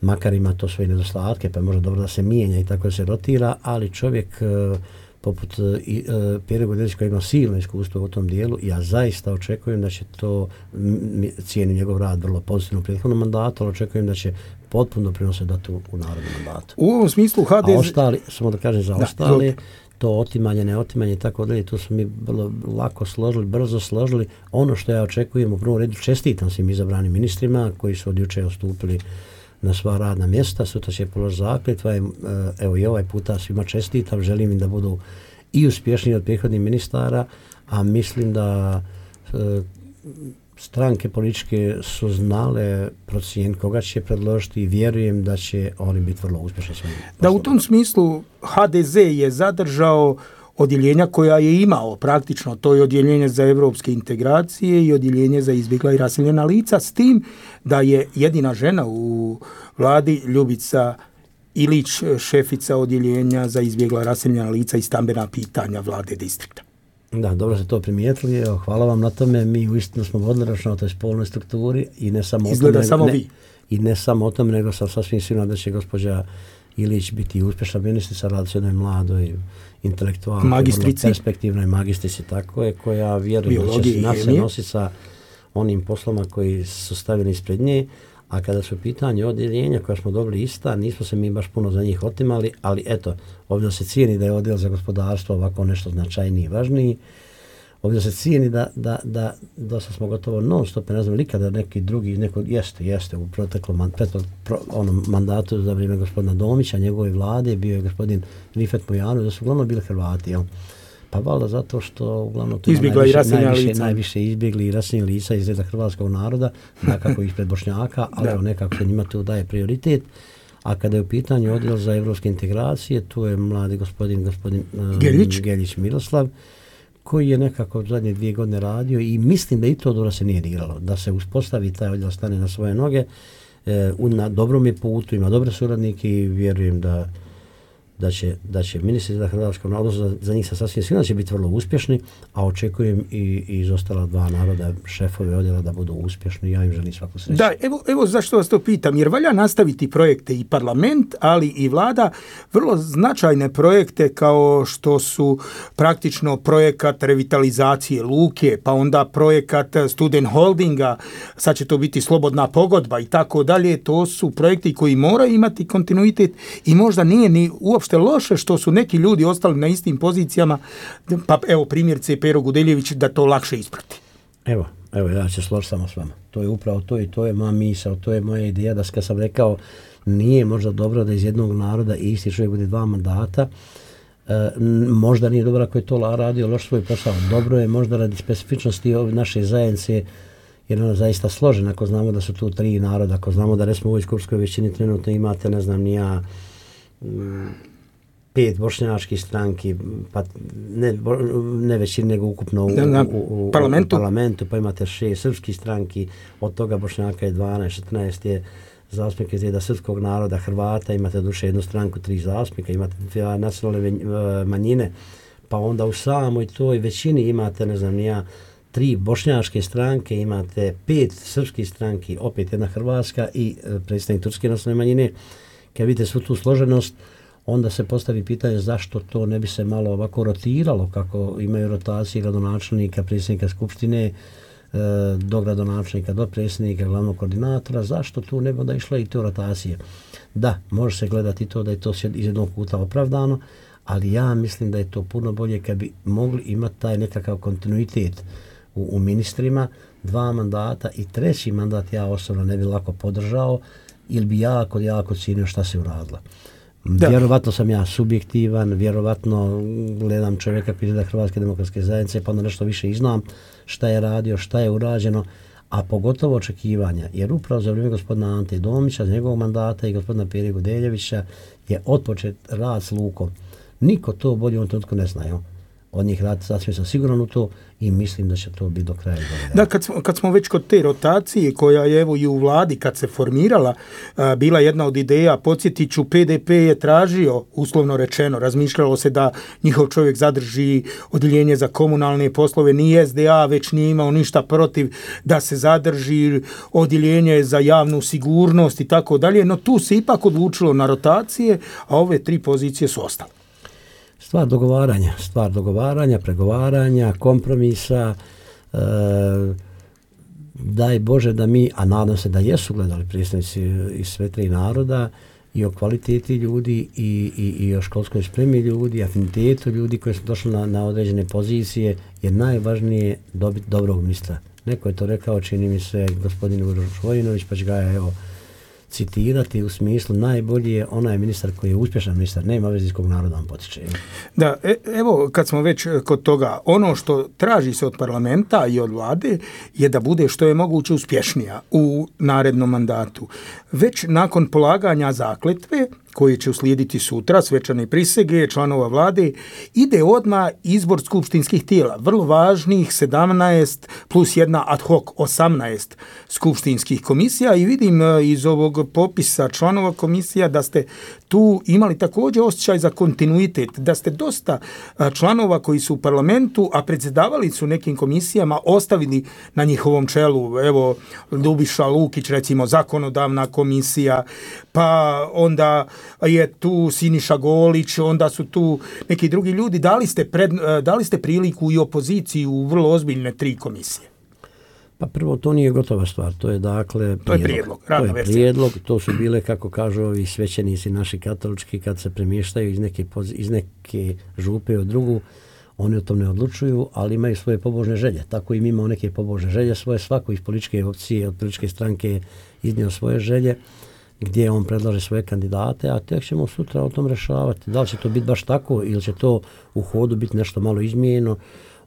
makar ima to svoje nedostatke, pa je možda dobro da se mijenja i tako da se rotira, ali čovjek poput Pere Gudeljevića koji ima silno iskustvo u tom dijelu, ja zaista očekujem da će to, cijenim njegov rad vrlo pozitivno u prethodnom mandatu, ali očekujem da će potpuno prinositi dati u narodnom mandatu. U ovom smislu HDZ... A ostali, samo da kažem za ostale, to otimanje, neotimanje i tako dalje, tu smo mi vrlo lako složili, brzo složili. Ono što ja očekujem u prvom redu, čestitam svim izabranim ministrima koji su od juče ostupili na sva radna mjesta, sutra će položiti zakletva, evo i ovaj puta svima čestitam, želim im da budu i uspješniji od prethodnih ministara, a mislim da stranke političke su znale procijeniti koga će predložiti i vjerujem da će oni biti vrlo uspješni. Da, u tom smislu HDZ je zadržao odjeljenja koja je imao praktično, to je odjeljenje za evropske integracije i odjeljenje za izbjegla i raseljena lica, s tim da je jedina žena u vladi Ljubica Ilić, šefica odjeljenja za izbjegla raseljena lica i stambena pitanja vlade distrikta. Da, dobro ste to primijetili, evo, hvala vam na tome, mi uistinu smo vodili računa o toj spolnoj strukturi i ne samo izgleda o tome, samo vi. I ne samo o tome, nego sam sasvim siguran da će gospođa Ilić biti uspješna ministrica, radi se jednoj mladoj intelektualnoj, magistrici, perspektivnoj magistrici, tako je, koja vjeruje da će se nositi sa onim posloma koji su stavili ispred nje, a kada su pitanje odjeljenja koja smo dobili ista, nismo se mi baš puno za njih otimali, ali eto, ovdje se cijeni da je odjel za gospodarstvo ovako nešto značajniji i važniji. Ovdje se cijeni da dosta smo gotovo non stop, ne znam likada neki drugi, jeste u proteklom mandatu za vrijeme gospodina Domića, njegove vlade, bio je gospodin Rifet Mujanović, da su uglavnom bili Hrvati, jel? Pa valjda zato što uglavnom tu najviše izbjegli i raseljena lica iz reda hrvatskog naroda, nekako ispred Bošnjaka, ali nekako se njima tu daje prioritet. A kada je u pitanju odjel za evropske integracije, tu je mladi gospodin Geljić Miroslav, koji je nekako zadnje 2 godine radio i mislim da i to dobro se nije diralo, da se uspostavi taj odjel, stane na svoje noge, na dobrom je putu, ima dobre suradnike i vjerujem da će ministri za hrvatsko narodu, za njih sam sasvim sigurno će biti vrlo uspješni, a očekujem i iz ostala 2 naroda, šefove odjela da budu uspješni, ja im želim svaku sreću. Da, evo zašto vas to pitam, jer valja nastaviti projekte i parlament, ali i vlada, vrlo značajne projekte kao što su praktično projekat revitalizacije luke, pa onda projekat student holdinga, sad će to biti slobodna pogodba i tako dalje, to su projekti koji moraju imati kontinuitet i možda nije ni uopšte loše što su neki ljudi ostali na istim pozicijama, pa evo primjerice Pero Gudeljević, da to lakše isprati. Evo ja ću složiti samo s vama. To je upravo to i to je moja misao, to je moja ideja da kad sam rekao nije možda dobro da iz jednog naroda isti čovjek bude 2 mandata, možda nije dobro ako je to radio loš svoj posao. Dobro je možda radi specifičnosti naše zajednice, jer ona zaista složena, ako znamo da su tu 3 naroda, ako znamo da recimo u ovoj skupskoj većini trenutno imate, ne znam ni ja, 5 bošnjačkih stranki, pa ne većini nego ukupno u parlamentu, pa imate 6 srpskih stranki, od toga Bošnjaka je 12, 14 je zastupnika iz reda srpskog naroda, Hrvata, imate duše jednu stranku, 3 zastupnika, imate 2 nacionalne manjine, pa onda u samoj toj većini imate, ne znam ni ja, 3 bošnjačke stranke, imate 5 srpskih stranki, opet jedna hrvatska i predstavnik turske nacionalne manjine. Kad vidite svu tu složenost, onda se postavi pitanje zašto to ne bi se malo ovako rotiralo, kako imaju rotacije gradonačelnika, predsjednika skupštine, do gradonačelnika, do predsjednika, glavnog koordinatora, zašto tu ne bi onda išla i te rotacije? Da, može se gledati to da je to iz jednog puta opravdano, ali ja mislim da je to puno bolje kad bi mogli imati taj nekakav kontinuitet u ministrima, 2 mandata i 3. mandat ja osobno ne bi lako podržao, ili bi jako cijenio šta se uradilo. Vjerovatno sam ja subjektivan, vjerovatno gledam čovjeka koji je da Hrvatske demokratske zajednice, pa onda nešto više i znam šta je radio, šta je urađeno, a pogotovo očekivanja, jer upravo za vrijeme gospodina Ante Domića, za njegovog mandata i gospodina Pere Gudeljevića je otpočet rad s lukom. Niko to bolje u ovom trenutku ne zna. Od njih rad sasvim sam siguran u to i mislim da će to biti do kraja godine. Da, kad smo već kod te rotacije koja je evo i u vladi kad se formirala, bila jedna od ideja, podsjetit ću, PDP je tražio, uslovno rečeno, razmišljalo se da njihov čovjek zadrži odjeljenje za komunalne poslove, ni SDA već nije imao ništa protiv da se zadrži odjeljenje za javnu sigurnost i tako dalje, no tu se ipak odlučilo na rotacije, a ove 3 pozicije su ostale. Stvar dogovaranja, pregovaranja, kompromisa, daj Bože da mi, a nadam se da jesu gledali predstavnici iz sve 3 naroda i o kvaliteti ljudi i o školskoj spremi ljudi, afinitetu ljudi koji su došli na određene pozicije, je najvažnije dobiti dobrog ministra. Neko je to rekao, čini mi se, gospodin Uroš Vojinović, pa će ga evo citirati u smislu najbolji je onaj ministar koji je uspješan ministar, nema veze iz kog naroda on potiče. Da, evo kad smo već kod toga, ono što traži se od parlamenta i od vlade je da bude što je moguće uspješnija u narednom mandatu. Već nakon polaganja zakletve, koji će uslijediti sutra, svečane prisege članova vlade, ide odmah izbor skupštinskih tijela. Vrlo važnih 17 plus jedna ad hoc 18 skupštinskih komisija i vidim iz ovog popisa članova komisija da ste tu imali također osjećaj za kontinuitet, da ste dosta članova koji su u parlamentu, a predsjedavali su nekim komisijama, ostavili na njihovom čelu. Evo, Ljubiša Lukić, recimo, zakonodavna komisija, pa onda je tu Siniša Golić, onda su tu neki drugi ljudi. Dali ste priliku i opoziciji u vrlo ozbiljne 3 komisije? Pa prvo, to nije gotova stvar, to je dakle prijedlog, to su bile, kako kažu ovi svećenici naši katolički, kad se premještaju iz neke župe u drugu, oni o tom ne odlučuju, ali imaju svoje pobožne želje. Tako i mi imamo neke pobožne želje svoje, svako iz političke opcije, od političke stranke je iznio svoje želje, gdje on predlaže svoje kandidate, a tek ćemo sutra o tom rešavati. Da li će to biti baš tako ili će to u hodu biti nešto malo izmijenjeno,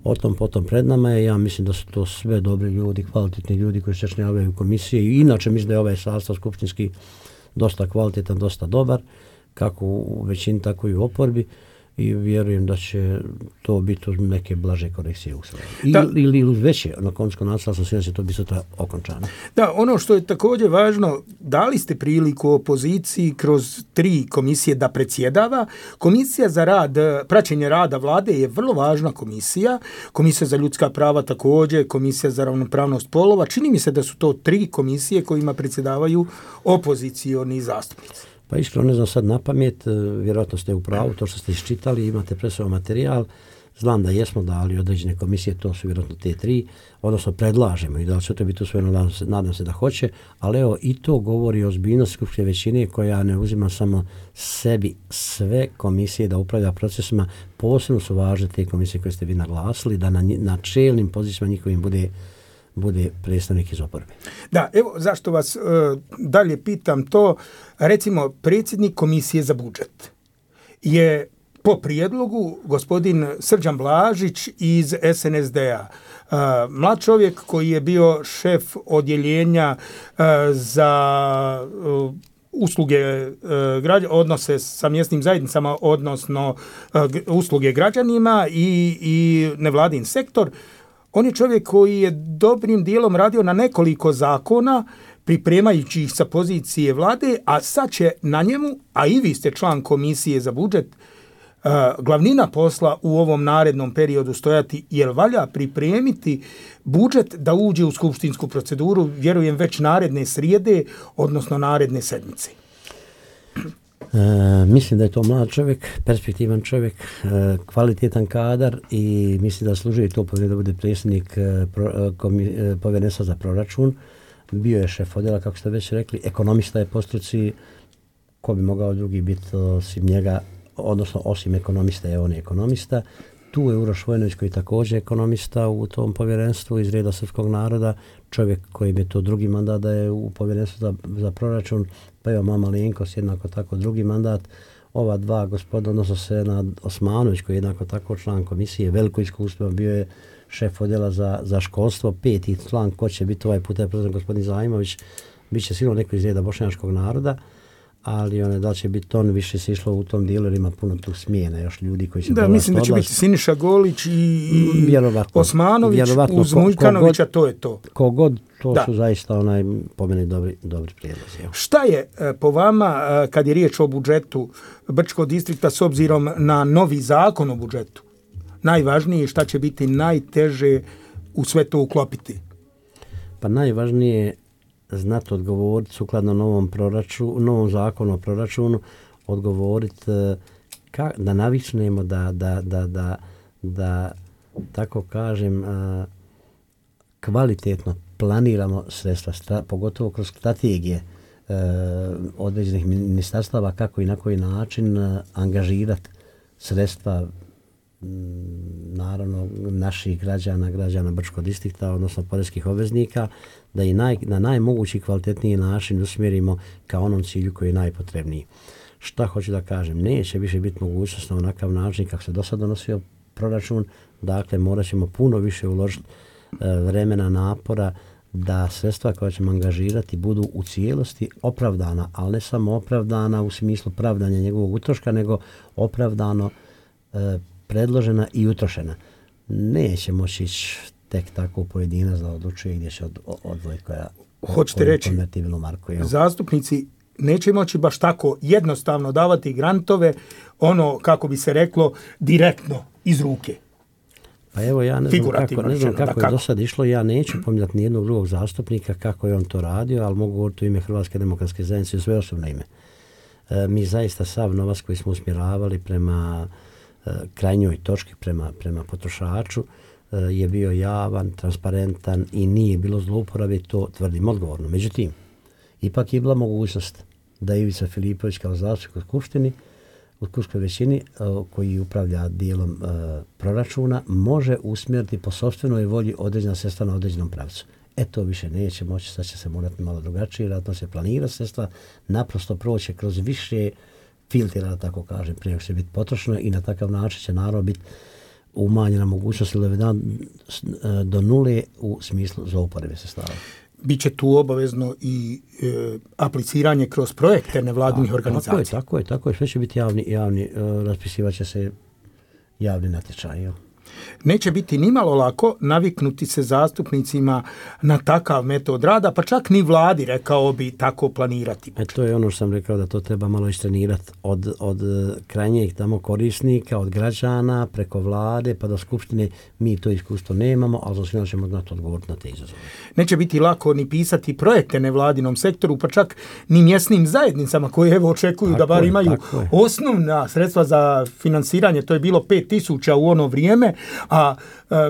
o tom potom pred nama je. Ja mislim da su to sve dobri ljudi, kvalitetni ljudi koji se činjavaju u komisiji i inače mislim da je ovaj sastav skupštinski dosta kvalitetan, dosta dobar, kako u većini, tako i u oporbi, i vjerujem da će to biti uz neke blaže korekcije usvojene. Ili uz veće, na koncu konaca sam siguran da će to biti sutra okončano. Da, ono što je također važno, dali ste priliku opoziciji kroz 3 komisije da predsjedava. Komisija za rad, praćenje rada vlade je vrlo važna komisija. Komisija za ljudska prava također, komisija za ravnopravnost polova. Čini mi se da su to 3 komisije kojima predsjedavaju opozicioni zastupnici. Pa iskreno ne znam sad na pamet, vjerojatno ste u pravu, to što ste iščitali, imate presao materijal, znam da jesmo dali određene komisije, to su vjerojatno te 3, odnosno predlažemo i da li će to biti usvojeno, nadam se da hoće, ali evo i to govori o ozbiljnosti skupštine većine koja ne uzima samo sebi sve komisije da upravlja procesima, posebno su važne te komisije koje ste vi naglasili, da na čelnim pozicijama njihovim bude predstavnik iz oporbe. Da, evo zašto vas dalje pitam to. Recimo, predsjednik komisije za budžet je po prijedlogu gospodin Srđan Blažić iz SNSD-a. Mlad čovjek koji je bio šef odjeljenja za usluge odnose sa mjesnim zajednicama, odnosno usluge građanima i nevladin sektor. On je čovjek koji je dobrim dijelom radio na nekoliko zakona, pripremajući ih sa pozicije vlade, a sad će na njemu, a i vi ste član komisije za budžet, glavnina posla u ovom narednom periodu stojati, jer valja pripremiti budžet da uđe u skupštinsku proceduru, vjerujem već naredne srijede, odnosno naredne sedmice. Mislim da je to mlad čovjek, perspektivan čovjek, kvalitetan kadar i mislim da služi to povjerenje da bude predsjednik povjerenstva za proračun. Bio je šef odjela, kako ste već rekli, ekonomista je po struci, ko bi mogao drugi biti osim njega, odnosno osim ekonomista je on je ekonomista. Tu je Uroš Vojnović koji je također ekonomista u tom povjerenstvu iz reda srpskog naroda, čovjek koji je to drugi mandat da je u povjerenstvu za proračun, pa evo Mama Lenkos jednako tako drugi mandat. Ova 2 gospoda, odnosno Senad Osmanović koji je jednako tako član komisije, veliko iskustvo, bio je šef odjela za školstvo, 5. član, ko će biti ovaj puta je prezident gospodin Zajmović, bit će sigurno neko iz reda bošnjačkog naroda, ali da će biti on, više se išlo u tom dijelu jer ima puno tu smijena još ljudi koji će da, mislim da će biti Siniša Golić i Osmanović uz Mujkanovića, to je to. Kogod, to su zaista po meni dobri prijedlozi. Šta je po vama, kad je riječ o budžetu Brčkog distrikta s obzirom na novi zakon o budžetu, najvažnije, šta će biti najteže u sve to uklopiti? Pa najvažnije znati odgovoriti sukladno novom zakonu o proračunu, odgovoriti da navičnemo da tako kažem kvalitetno planiramo sredstva, pogotovo kroz strategije određenih ministarstava, kako i na koji način angažirati sredstva naravno naših građana Brčkog distrikta, odnosno poreskih obveznika, da i na najmogući kvalitetniji način usmjerimo ka onom cilju koji je najpotrebniji. Šta hoću da kažem? Neće više biti mogućnost na onakav način kako se do sad donosio proračun, dakle morat ćemo puno više uložiti vremena, napora da sredstva koja ćemo angažirati budu u cijelosti opravdana, ali ne samo opravdana u smislu pravdanja njegovog utroška, nego opravdano predložena i utrošena. Neće moći ići tek tako u pojedinac da odlučuje gdje će odvojiti koja hoćete reći, zastupnici neće moći baš tako jednostavno davati grantove, kako bi se reklo, direktno iz ruke. Pa evo ja ne znam kako je do sad išlo, ja neću pominjati nijednog drugog zastupnika kako je on to radio, ali mogu govoriti u ime Hrvatske demokratske zajednice i svoje osobno ime. Mi zaista sav novac koji smo usmjeravali prema krajnjoj točki, prema potrošaču, je bio javan, transparentan i nije bilo zlouporabe, to tvrdim odgovorno. Međutim, ipak je bila mogućnost da Ivica Filipović kao zastupnik u Skupštini, u skupštinskoj većini koji upravlja dijelom proračuna, može usmjeriti po sopstvenoj volji određena sredstva na određenom pravcu. To više neće moći, sad će se morati malo drugačije, vjerojatno se planira sredstva, naprosto proći kroz više filtera, da tako kažem, prije će biti potrošeno i na takav način će naravno biti umanjena mogućnost ili do nule u smislu zlouporabe sredstava. Biće tu obavezno i apliciranje kroz projekte nevladinih organizacija. Tako je. Sve će biti javni raspisivat će se javni natječaj. Neće biti nimalo lako naviknuti se zastupnicima na takav metod rada, pa čak ni vladi, rekao bi, tako planirati. To je ono što sam rekao, da to treba malo istrenirati od krajnjeg tamo korisnika, od građana, preko vlade, pa do skupštine. Mi to iskustvo nemamo, ali za svima ćemo znati odgovoriti na te izazove. Neće biti lako ni pisati projekte nevladinom sektoru, pa čak ni mjesnim zajednicama koje očekuju da bar imaju osnovna sredstva za finansiranje. To je bilo 5.000 u ono vrijeme, a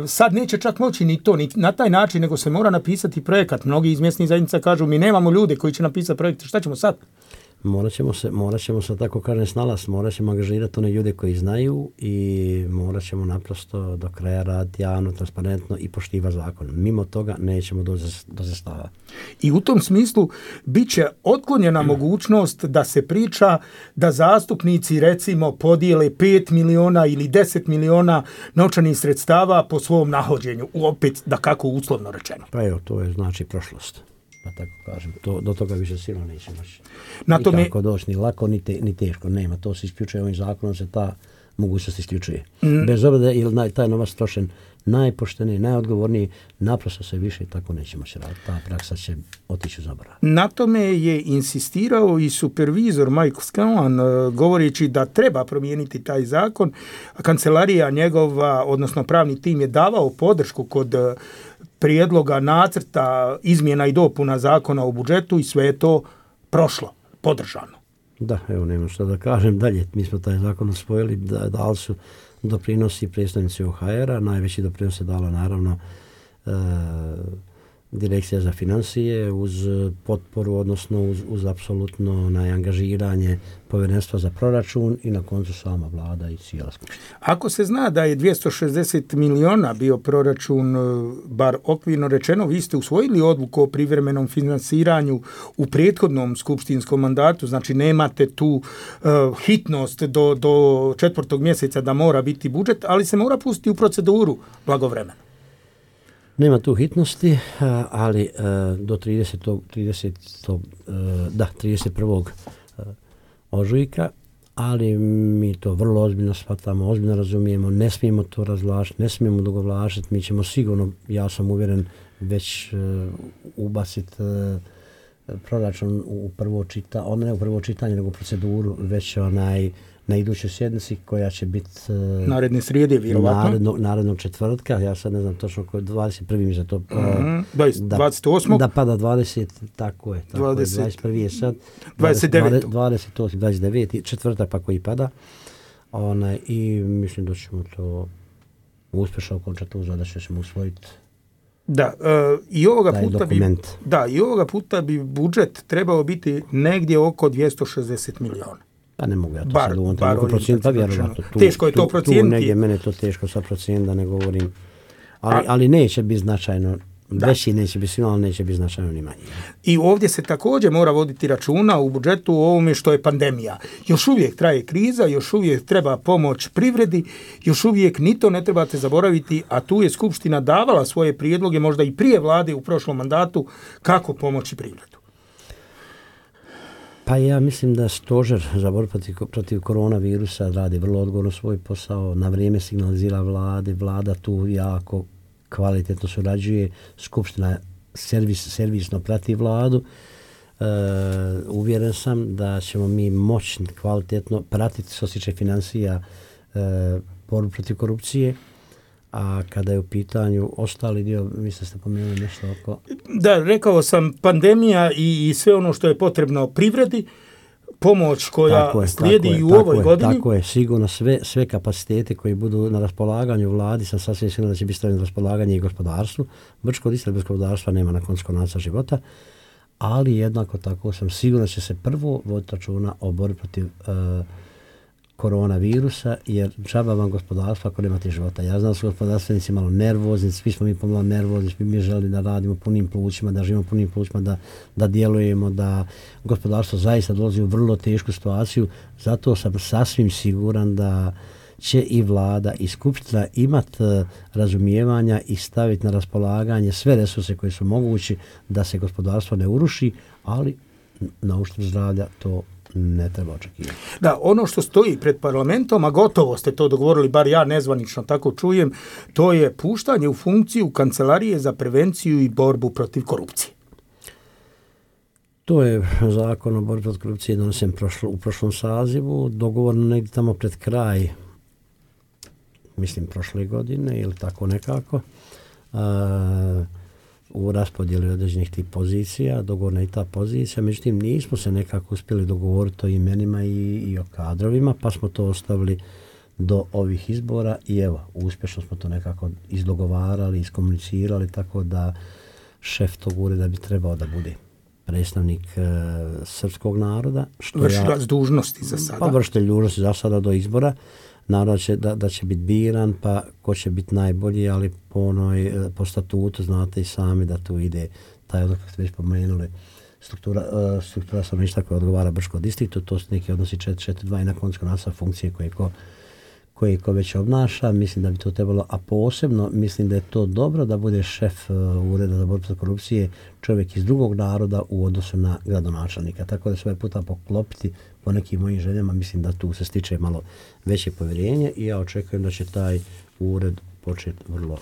sad neće čak moći ni to, ni na taj način, nego se mora napisati projekat. Mnogi iz mjesnih zajednica kažu, mi nemamo ljude koji će napisati projekte, šta ćemo sad? Morat ćemo se tako kažem snalaziti, morat ćemo angažirati one ljude koji znaju i morat ćemo naprosto do kraja raditi javno, transparentno i poštivati zakon. Mimo toga nećemo do zastava. I u tom smislu bit će otklonjena mogućnost da se priča da zastupnici recimo podijele 5 miliona ili 10 miliona novčanih sredstava po svom nahođenju, opet da kako uslovno rečeno. Pa evo, to je znači prošlost. Pa tako kažem, do toga više sigurno neće moći. Nikako doći, ni lako, ni teško. Nema, to se isključuje ovim zakonom, se ta mogućnost isključuje. Bez obzira ili taj novac trošen najpošteniji, najodgovorniji, naprosto se više tako neće moći raditi. Ta praksa će otići u zaborav. Na tome je insistirao i supervizor Michael Scanlon, govoreći da treba promijeniti taj zakon. Kancelarija njegova, odnosno pravni tim, je davao podršku kod prijedloga nacrta izmjena i dopuna zakona o budžetu i sve je to prošlo, podržano. Da, evo nema što da kažem dalje. Mi smo taj zakon usvojili, dali su doprinosi predstavnici OHR-a, najveći doprinos je dala naravno Direkcija za financije uz potporu, odnosno uz apsolutno angažiranje Povjerenstva za proračun i na koncu sama vlada i cijela skupština. Ako se zna da je 260 miliona bio proračun, bar okvirno rečeno, vi ste usvojili odluku o privremenom finansiranju u prethodnom skupštinskom mandatu, znači nemate tu hitnost do 4. mjeseca da mora biti budžet, ali se mora pustiti u proceduru blagovremeno. Nema tu hitnosti, ali do 31. ožujka, ali mi to vrlo ozbiljno shvatamo, ozbiljno razumijemo, ne smijemo to razvlačiti, ne smijemo dugovlačiti, mi ćemo sigurno, ja sam uvjeren, već ubaciti proračun u prvo čitanje, ne u prvo čitanje, nego u proceduru, već na idućoj sjednici koja će biti naredne srijede, vjerovatno. Narednog četvrtka, ja sad ne znam točno koji 21. mi za to 28. Da pada 20, tako je. 21. je sad 29. 28, 29. četvrtak pa koji pada. I mislim da ćemo to uspješno okončati u zadaću, ćemo usvojiti. Da, i ovoga puta bi budžet trebao biti negdje oko 260 miliona. Pa ne mogu ja to sad u ovom trenutku procijeniti, pa vjerovatno. Teško je to procijeniti. Tu negdje mene to teško sad procijeniti, da ne govorim. Ali neće biti značajno, veći neće biti svima, ali neće biti značajno ni manje. I ovdje se također mora voditi računa u budžetu o ovome što je pandemija. Još uvijek traje kriza, još uvijek treba pomoć privredi, još uvijek ni to ne trebate zaboraviti, a tu je Skupština davala svoje prijedloge, možda i prije vlade u prošlom mandatu, kako pomoći privredu. Pa ja mislim da stožer za borbu protiv koronavirusa radi vrlo odgovorno svoj posao, na vrijeme signalizira vlada tu jako kvalitetno surađuje, skupština servisno prati vladu. Uvjeren sam da ćemo mi moći kvalitetno pratiti što se tiče financija borbu protiv korupcije. A kada je u pitanju ostali dio, mislim ste pomenuli nešto oko... Da, rekao sam, pandemija i sve ono što je potrebno privredi, pomoć koja slijedi i u ovoj godini. Tako je, sigurno sve kapacitete koji budu na raspolaganju vladi, sam sasvim sigurno da će biti stavljeno na raspolaganje i gospodarstvu. Brčko-Distrikt bez gospodarstva nema na koncu konaca života, ali jednako tako sam siguran da će se prvo voditi računa o borbi protiv koronavirusa, jer džaba vam gospodarstva ako nemate života. Ja znam da su gospodarstvenici malo nervozni, svi smo mi pomalo nervozni, svi mi želi da radimo punim plućima, da živimo punim plućima, da djelujemo, da gospodarstvo zaista dolazi u vrlo tešku situaciju. Zato sam sasvim siguran da će i vlada i skupština imati razumijevanja i staviti na raspolaganje sve resurse koji su mogući da se gospodarstvo ne uruši, ali na uštrb zdravlja to ne treba očekivati. Da, ono što stoji pred parlamentom, a gotovo ste to dogovorili, bar ja nezvanično tako čujem, to je puštanje u funkciju Kancelarije za prevenciju i borbu protiv korupcije. To je zakon o borbi protiv korupcije donesen u prošlom sazivu, dogovorno negdje tamo pred kraj, mislim prošle godine ili tako nekako, u raspodjeli određenih tih pozicija, dogovorna i ta pozicija, međutim nismo se nekako uspjeli dogovoriti o imenima i o kadrovima, pa smo to ostavili do ovih izbora i evo, uspješno smo to nekako izdogovarali, iskomunicirali, tako da šef tog ureda bi trebao da bude predstavnik srpskog naroda. Vršilac dužnosti za sada. Pa vršitelj dužnosti za sada do izbora. Naravno da će biti biran, pa ko će biti najbolji, ali po statutu znate i sami da tu ide taj odlog, kako ste već pomenuli, struktura stanovništva koja odgovara Brčkom distriktu, to su neki odnosi 4-4-2 i na koncu nastavak funkcije koje ko već obnaša. Mislim da bi to trebalo, a posebno mislim da je to dobro da bude šef ureda za borbu protiv korupcije čovjek iz drugog naroda u odnosu na gradonačelnika. Tako da sve puta poklopiti po nekim mojim željama, mislim da tu se stiče malo veće povjerenje i ja očekujem da će taj ured početi vrlo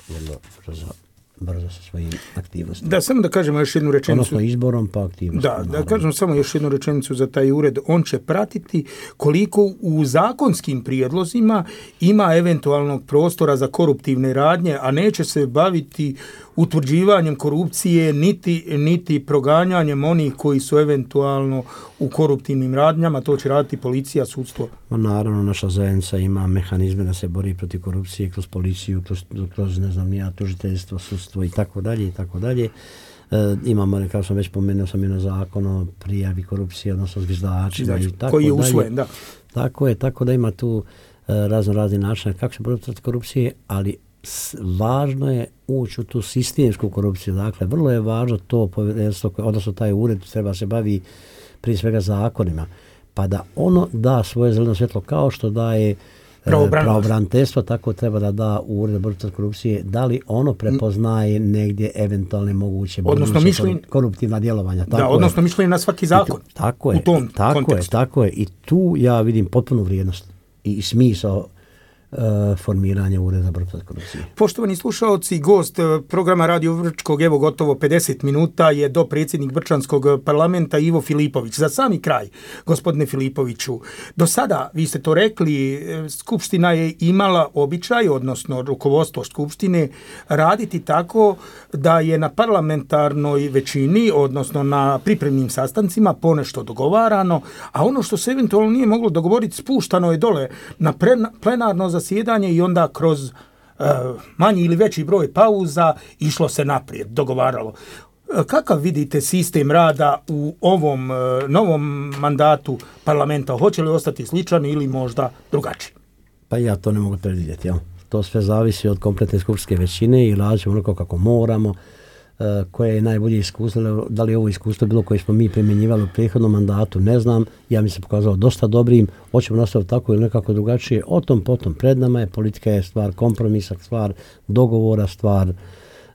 brzo sa svojim aktivnostima. Da, samo da kažemo još jednu rečenicu. Odnosno izborom pa aktivnostima. Da kažem samo još jednu rečenicu za taj ured. On će pratiti koliko u zakonskim prijedlozima ima eventualnog prostora za koruptivne radnje, a neće se baviti utvrđivanjem korupcije niti proganjanjem onih koji su eventualno u koruptivnim radnjama. To će raditi policija, sudstvo. Naravno, naša zajednica ima mehanizme da se bori protiv korupcije kroz policiju, kroz ne znam nija, tužiteljstvo, sudstvo i tako dalje. Imamo, kao sam već pomenuo, sam zakon o prijavi korupcije, odnosno zviždačima i tako dalje. Koji je usvojen, da. Tako da ima tu razni načine kako se boriti protiv korupcije, ali važno je ući u tu sistemsku korupciju. Dakle, vrlo je važno to povjerenstvo, odnosno taj ured treba se bavi prije svega zakonima, pa da ono da svoje zeleno svjetlo kao što daje pravobraniteljstvo, tako treba da da u ured borbe protiv korupcije, da li ono prepoznaje negdje eventualne moguće koruptivna djelovanja. Odnosno mišljenje na svaki zakon. Tako je. I tu ja vidim potpunu vrijednost i smisao formiranje ureda borbe protiv korupcije. Poštovani slušaoci, gost programa Radio Brčkog, evo gotovo 50 minuta je dopredsjednik Brčanskog parlamenta Ivo Filipović. Za sami kraj, gospodine Filipoviću, do sada, vi ste to rekli, Skupština je imala običaj, odnosno rukovodstvo Skupštine, raditi tako da je na parlamentarnoj većini, odnosno na pripremnim sastancima ponešto dogovarano, a ono što se eventualno nije moglo dogovoriti spuštano je dole na plenarno zasjedanje i onda kroz manji ili veći broj pauza išlo se naprijed, dogovaralo. Kakav vidite sistem rada u ovom novom mandatu parlamenta? Hoće li ostati sličan ili možda drugačiji? Pa ja to ne mogu predvidjeti. Ja. To sve zavisi od kompletne skupštine većine i radit ćemo onako kako moramo. Koje je najbolje iskustvo, da li je ovo iskustvo bilo koje smo mi primjenjivali u prethodnom mandatu, ne znam, ja mi se pokazalo dosta dobrim, hoćemo nastaviti tako ili nekako drugačije, o tom potom pred nama je, politika je stvar kompromisa, stvar dogovora, stvar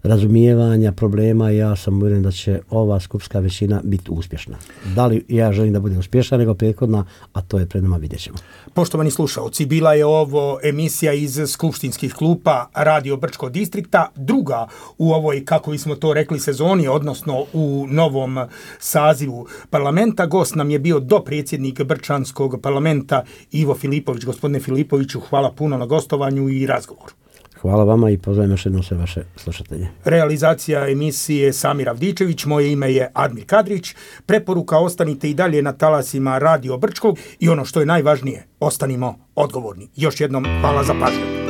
razumijevanja problema i ja sam uvjeren da će ova skupštinska većina biti uspješna. Da li ja želim da bude uspješna nego prethodna, a to je pred nama, vidjet ćemo. Poštovani slušaoci, bila je ovo emisija iz skupštinskih klupa Radio Brčkog distrikta, druga u ovoj, kako bismo to rekli, sezoni, odnosno u novom sazivu parlamenta. Gost nam je bio dopredsjednik Brčanskog parlamenta Ivo Filipović. Gospodine Filipoviću, hvala puno na gostovanju i razgovoru. Hvala vama i pozdravljam još jednom sve vaše slušatelje. Realizacija emisije Samir Avdičević, moje ime je Admir Kadrić. Preporuka, ostanite i dalje na talasima Radio Brčkog i ono što je najvažnije, ostanimo odgovorni. Još jednom hvala za pažnju.